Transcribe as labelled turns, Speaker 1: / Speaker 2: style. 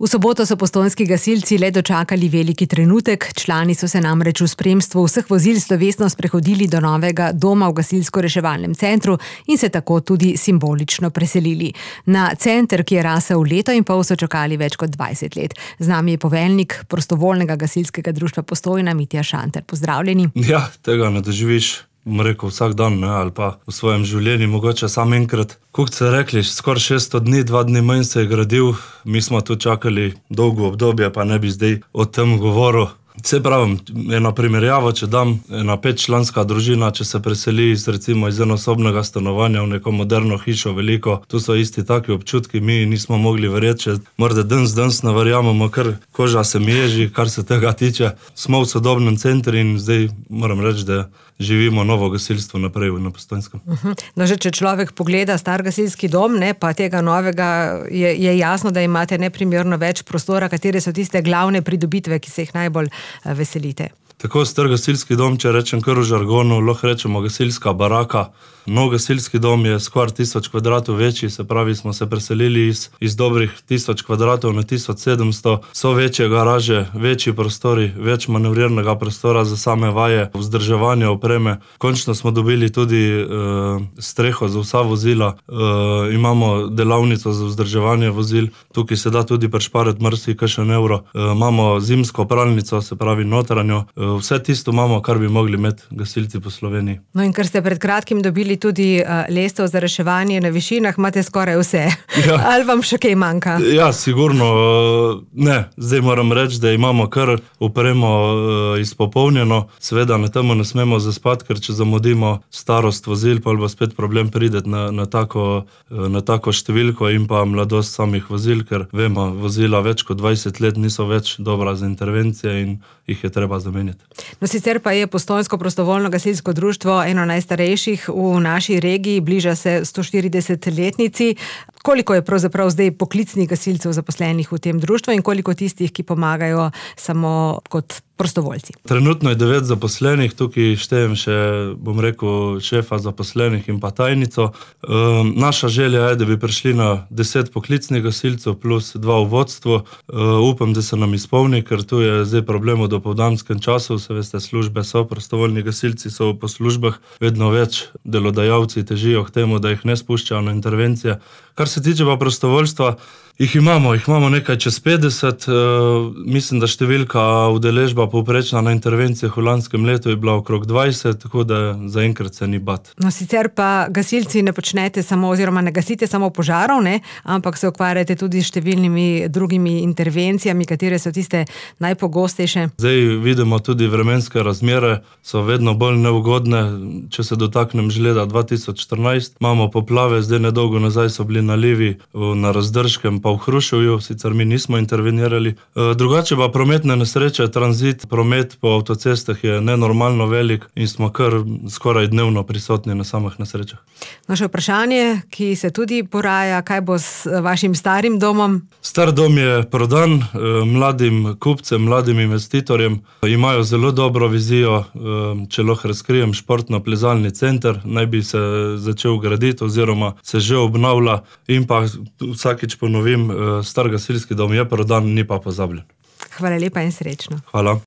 Speaker 1: V soboto so postojnski gasilci le dočakali veliki trenutek. Člani so se namreč v spremstvu vseh vozil slovesno sprehodili do novega doma v gasilsko-reševalnem centru in se tako tudi simbolično preselili. Na center, ki je rasel leto in pol, so čakali več kot 20 let. Z nami je poveljnik prostovoljnega gasilskega društva Postojna, Mitja Šanter. Pozdravljeni.
Speaker 2: Ja, tega ne doživiš, rekel, vsak dan, ne, ali pa v svojem življenju, mogoče samo enkrat. Kot ste rekli, skoraj 600 dni, 2 dni manj se je gradil, mi smo tu čakali dolgo obdobje, pa ne bi zdaj o tem govoril. Se pravim, eno primerjavo, če dam, ena 5-članska družina, če se preseli recimo iz enosobnega stanovanja v neko moderno hišo veliko, tu so isti taki občutki, mi nismo mogli verjeti, če morda danes ne verjamemo, ker koža se mi ježi, kar se tega tiče. Smo v sodobnem centru in zdaj moram reči, da živimo novo gasilstvo naprej na Postojnskem.
Speaker 1: No, že če človek pogleda star gasilski dom, ne, pa tega novega, je jasno, da imate neprimerno več prostora. Katere so tiste glavne pridobitve, ki se jih najbolj veselite?
Speaker 2: Tako star gasilski dom, če rečem kar v žargonu, lahko rečemo gasilska baraka. Nov gasilski dom je skoraj 1000 kvadratov večji, se pravi, smo se preselili iz dobrih 1000 kvadratov na 1700. So večje garaže, večji prostori, več manevrirnega prostora za same vaje, vzdrževanje opreme. Končno smo dobili tudi streho za vsa vozila, imamo delavnico za vzdrževanje vozil, tukaj se da tudi prešparati marsikakšen evro. Imamo zimsko pralnico, se pravi notranjo. Vse tisto imamo, kar bi mogli imeti gasilci po Sloveniji.
Speaker 1: No, in ker ste pred kratkim dobili tudi lestev za reševanje na višinah, imate skoraj vse. Ja. Ali vam še kaj manjka?
Speaker 2: Ja, sigurno ne. Zdaj moram reči, da imamo kar opremo izpopolnjeno. Seveda na temu ne smemo zaspati, ker če zamudimo starost vozil, pa bo spet problem priti na tako številko in pa mladost samih vozil, ker vemo, vozila več kot 20 let niso več dobra za intervencije in jih je treba zamenjati.
Speaker 1: No, sicer pa je Postojnsko prostovoljno gasilsko društvo eno najstarejših v naši regiji, bliža se 140-letnici. Koliko je pravzaprav zdaj poklicnih gasilcev zaposlenih v tem društvu in koliko tistih, ki pomagajo samo kot prostovoljci?
Speaker 2: Trenutno je 9 zaposlenih, tukaj štejem še, bom rekel, šefa zaposlenih in pa tajnico. Naša želja je, da bi prišli na 10 poklicnih gasilcev plus 2 v vodstvu. Upam, da se nam izpolni, ker tu je zdaj problem v dopoldanskem času, se veste, službe so, prostovoljni gasilci so po službah, vedno več delodajalci težijo k temu, da jih ne spuščajo na intervencije. Kar se tiče pa prostovoljstva, jih imamo nekaj čez 50, mislim, da številka udeležba povprečna na intervencijah v lanskem letu je bila okrog 20, tako da zaenkrat se ni bat.
Speaker 1: No, sicer pa gasilci ne počnete samo, oziroma ne gasite samo požarov, ne, ampak se ukvarjate tudi s številnimi drugimi intervencijami, katere so tiste najpogostejše.
Speaker 2: Zdaj vidimo tudi vremenske razmere, so vedno bolj neugodne. Če se dotaknem že leta 2014, imamo poplave, zdaj nedolgo nazaj so bili nalivi na Razdržkem, pa v Hruševju, sicer mi nismo intervenirali. Drugače pa prometne nesreče, tranzit, promet po avtocestah je nenormalno velik in smo kar skoraj dnevno prisotni na samih nesrečah.
Speaker 1: No, še vprašanje, ki se tudi poraja, kaj bo s vašim starim domom?
Speaker 2: Star dom je prodan mladim kupcem, mladim investitorjem. Imajo zelo dobro vizijo, če lahko razkrijem, športno-plezalni center, naj bi se začel graditi oziroma se že obnavlja in pa vsakič ponovim, star gasilski dom je prodan, ni pa pozabljen.
Speaker 1: Hvala lepa in srečno.
Speaker 2: Hvala.